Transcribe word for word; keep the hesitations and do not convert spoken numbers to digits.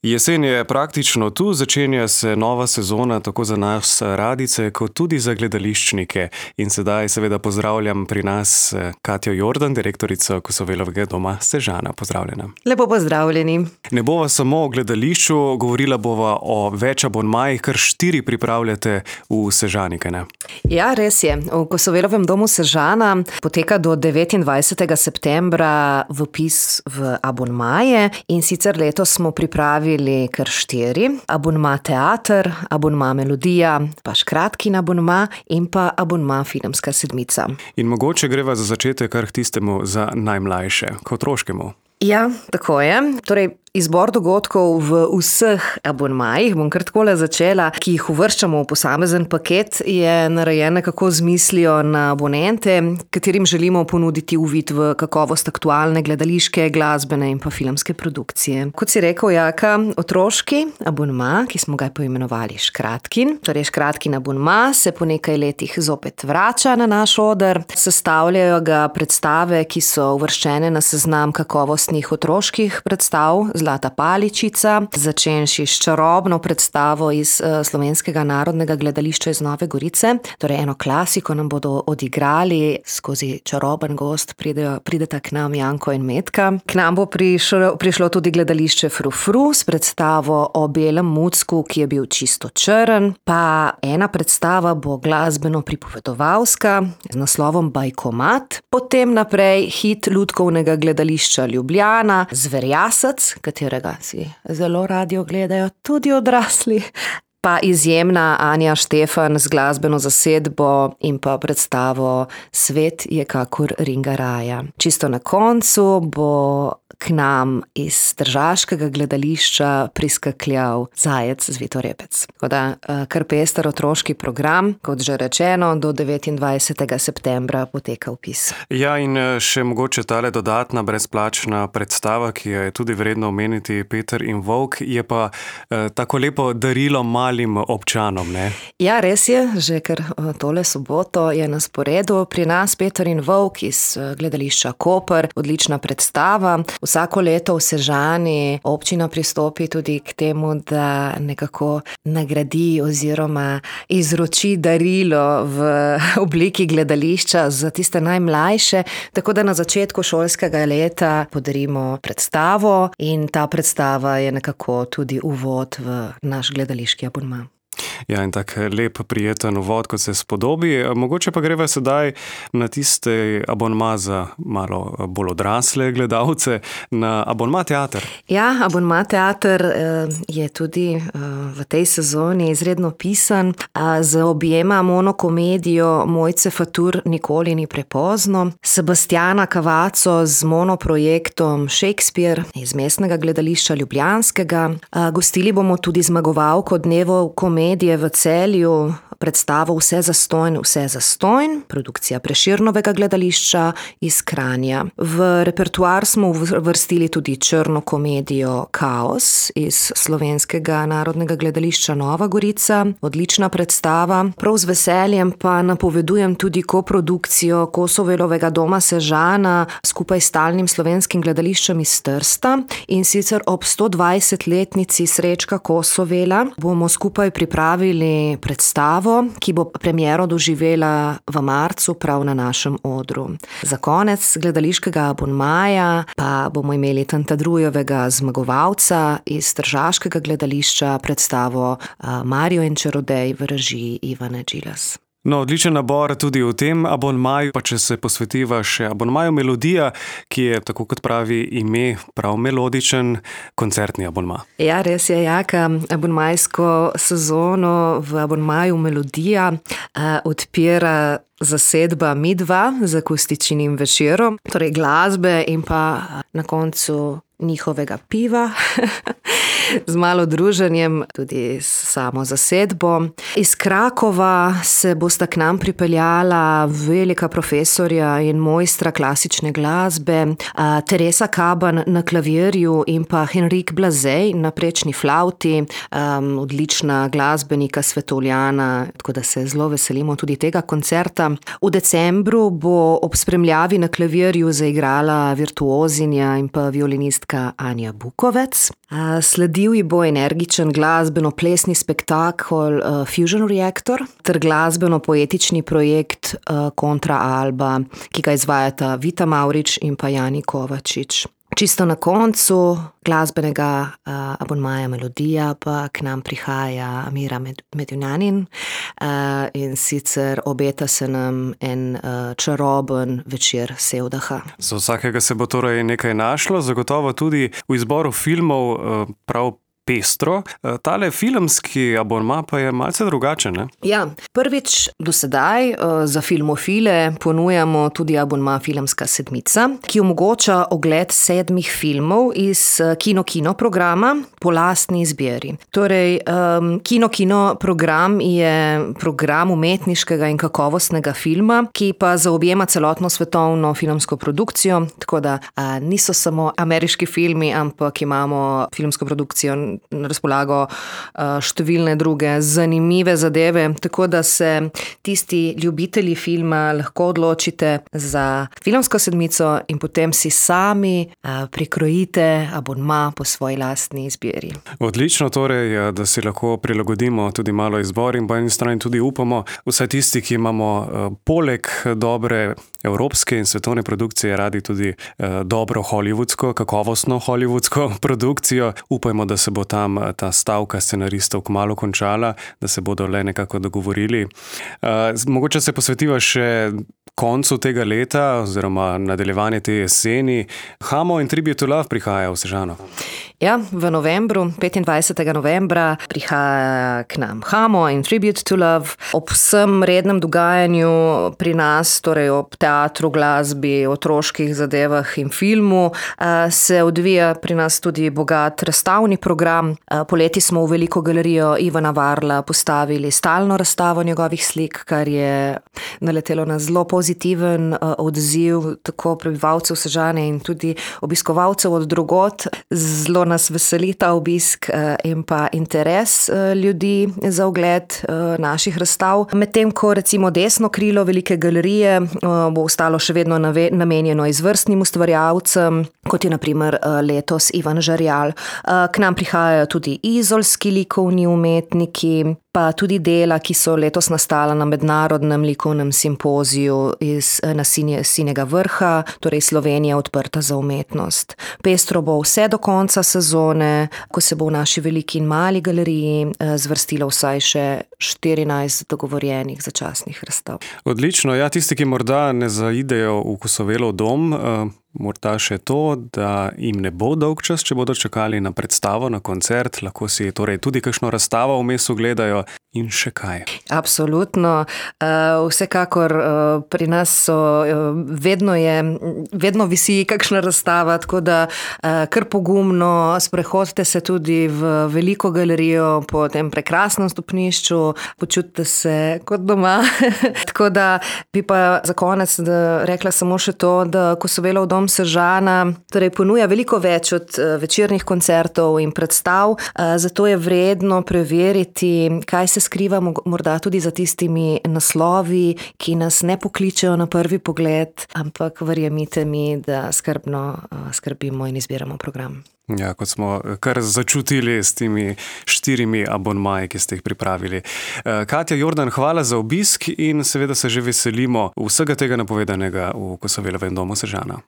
Jesen je praktično tu, začenja se nova sezona tako za nas radijce, kot tudi za gledališčnike. In sedaj seveda pozdravljam pri nas Katjo Jordan, direktorico Kosovelovega doma Sežana. Pozdravljena. Lepo pozdravljeni. Ne bova samo o gledališču, govorila bova o več abonmajih, kar štiri pripravljate v Sežani, kaj ne? Ja, res je. V Kosovelovem domu Sežana poteka do devetindvajsetega septembra vpis v abonmaje in sicer letos smo pripravili kar štiri. Abonma teater, abonma melodija, pa škratkin abonma in pa abonma filmska sedmica. In mogoče greva za začetek kar k tistemu za najmlajše, k otroškemu. Ja, tako je. Torej, izbor dogodkov v vseh abonmajih, bom kar takole začela, ki jih uvrščamo v posamezen paket, je narejen nekako z mislijo na abonente, katerim želimo ponuditi uvid v kakovost aktualne gledališke, glasbene in pa filmske produkcije. Kot si rekel, Jaka, otroški abonma, ki smo ga poimenovali škratkin, torej škratkin abonma se po nekaj letih zopet vrača na naš oder. Sestavljajo ga predstave, ki so uvrščene na seznam kakovostnih otroških predstav Zlata paličica, začenši s čarobno predstavo iz uh, Slovenskega narodnega gledališča iz Nove Gorice. Torej eno klasiko nam bodo odigrali, skozi čaroben gost pridejo, prideta k nam Janko in Metka. K nam bo prišlo, prišlo tudi gledališče Fru Fru s predstavo o belem mucku, ki je bil čisto črn. Pa ena predstava bo glasbeno pripovedovalska z naslovom Bajkomat. Potem naprej hit lutkovnega gledališča Ljubljana, Zverjasec, katerega si zelo radi ogledajo tudi odrasli. Pa izjemna Anja Štefan z glasbeno zasedbo in pa predstavo Svet je kakor ringaraja. Čisto na koncu bo k nam iz tržaškega gledališča priskakljal Zajec Zvitorepec. Tako da kar pester otroški program, kot že rečeno, do devetindvajsetega septembra poteka vpis. Ja, in še mogoče tale dodatna brezplačna predstava, ki jo je tudi vredno omeniti, Peter in Volk, je pa eh, tako lepo darilo malim občanom, ne? Ja, res je, že ker tole soboto je na sporedu pri nas Peter in Volk iz gledališča Koper, odlična predstava. Vsako leto v Sežani občina pristopi tudi k temu, da nekako nagradi oziroma izroči darilo v obliki gledališča za tiste najmlajše, tako da na začetku šolskega leta podarimo predstavo in ta predstava je nekako tudi uvod v naš gledališki abonma. Ja, in tak lep, prijeten uvod, kot se spodobi. Mogoče pa greva sedaj na tiste abonma za malo bolj odrasle gledalce, na abonma teater. Ja, abonma teater je tudi v tej sezoni izredno pisan. Z objema monokomedijo Mojce Fatur Nikoli ni prepozno, Sebastiana Cavazzo z monoprojektom Shakespeare iz Mestnega gledališča ljubljanskega. Gostili bomo tudi zmagovalko Dnevov komedije v Celju, predstavo Vse zastojn, vse zastojn, produkcija Prešernovega gledališča iz Kranja. V repertoar smo vrstili tudi črno komedijo Kaos iz Slovenskega narodnega gledališča Nova Gorica, odlična predstava. Prav z veseljem pa napovedujem tudi koprodukcijo Kosovelovega doma Sežana skupaj s Stalnim slovenskim gledališčem iz Trsta, in sicer ob stodvajsetletnici Srečka Kosovela bomo skupaj pripravili predstavo, ki bo premiero doživela v marcu prav na našem odru. Za konec gledališkega abonmaja pa bomo imeli Tantadrujevega zmagovalca iz tržaškega gledališča, predstavo Mario in čarodej v režiji Ivane Džilas. No, odličen nabor tudi v tem abonmaju, pa če se posvetiva še abonmaju Melodija, ki je, tako kot pravi ime, prav melodičen koncertni abonma. Ja, res je, Jaka. Abonmajsko sezono v abonmaju Melodija uh, odpira zasedba Midva z akustičnim večerom, torej glasbe in pa na koncu njihovega piva. Z malo druženjem, tudi s samo zasedbo. Iz Krakova se bosta k nam pripeljala velika profesorja in mojstra klasične glasbe, Teresa Kaban na klavirju in pa Henrik Blazej na prečni flauti, um, odlična glasbenika svetovljana, tako da se zelo veselimo tudi tega koncerta. V decembru bo ob spremljavi na klavirju zaigrala virtuozinja in pa violinistka Anja Bukovec. Sledi divji bo energičen glasbeno-plesni spektakel uh, Fusion Reactor ter glasbeno-poetični projekt uh, Kontra Alba, ki ga izvajata Vita Mavrič in pa Jani Kovačič. Čisto na koncu glasbenega uh, abonmaja Melodija pa k nam prihaja Mira Med- Medunjanin uh, in sicer obeta se nam en uh, čaroben večer sevdaha. Za vsakega se bo torej nekaj našlo, zagotovo tudi v izboru filmov uh, prav pestro. Tale filmski abonma pa je malce drugačen, ne? Ja, prvič do sedaj uh, za filmofile ponujamo tudi abonma Filmska sedmica, ki omogoča ogled sedmih filmov iz uh, kino-kino programa po lastni izbiri. Torej, um, kino-kino program je program umetniškega in kakovostnega filma, ki pa zaobjema celotno svetovno filmsko produkcijo, tako da uh, niso samo ameriški filmi, ampak imamo filmsko produkcijo na razpolago številne druge zanimive zadeve, tako da se tisti ljubitelji filma lahko odločite za Filmsko sedmico in potem si sami prikrojite abonma po svoji lastni izbiri. Odlično torej, da si lahko prilagodimo tudi malo izbor in po eni strani tudi upamo, vsaj tisti, ki imamo poleg dobre evropske in svetovne produkcije radi tudi dobro hollywoodsko, kakovostno hollywoodsko produkcijo. Upajmo, da se bo tam ta stavka scenaristov kmalu končala, da se bodo le nekako dogovorili. Mogoče se posvetiva še koncu tega leta oziroma nadaljevanje te jeseni. Hamo in Tribute to Love prihaja v Sežano. Ja, v novembru, petindvajsetega novembra prihaja k nam Hamo in Tribute to Love. Ob vsem rednem dogajanju pri nas, torej ob teatru, glasbi, otroških zadevah in filmu, se odvija pri nas tudi bogat razstavni program. Poleti smo v veliko galerijo Ivana Varla postavili stalno razstavo njegovih slik, kar je naletelo na zelo pozitiven odziv tako prebivalcev Sežane in tudi obiskovalcev od drugod. Zelo nas veseli ta obisk in pa interes ljudi za ogled naših razstav. Medtem ko recimo desno krilo velike galerije bo ostalo še vedno namenjeno izvrstnim ustvarjalcem, kot je na primer letos Ivan Žerjal. K nam prihajajo tudi izolski likovni umetniki, pa tudi dela, ki so letos nastala na mednarodnem likovnem simpoziju iz, na Sinjega vrha, torej Slovenija odprta za umetnost. Pestro bo vse do konca sezone, ko se bo v naši veliki in mali galeriji zvrstilo vsaj še štirinajst dogovorjenih začasnih razstav. Odlično, ja, tisti, ki morda ne zaidejo v Kosovelov dom, morda še to, da jim ne bo dolg čas, če bodo čakali na predstavo, na koncert, lahko si torej tudi kakšno razstavo vmes ogledajo in še kaj. Absolutno. Vsekakor pri nas so, vedno je, vedno visi kakšna razstava, tako da kar pogumno sprehodite se tudi v veliko galerijo po tem prekrasnem stopnišču, počutite se kot doma. Tako da bi pa za konec rekla samo še to, da Kosovelov dom Sežana torej ponuja veliko več od večernih koncertov in predstav, zato je vredno preveriti, kaj se skriva morda tudi za tistimi naslovi, ki nas ne pokličejo na prvi pogled, ampak verjemite mi, da skrbno skrbimo in izbiramo program. Ja, kot smo kar začutili s temi štirimi abonmaji, ki ste jih pripravili. Katja Jordan, hvala za obisk in seveda se že veselimo vsega tega napovedanega v Kosovelovem domu Sežana.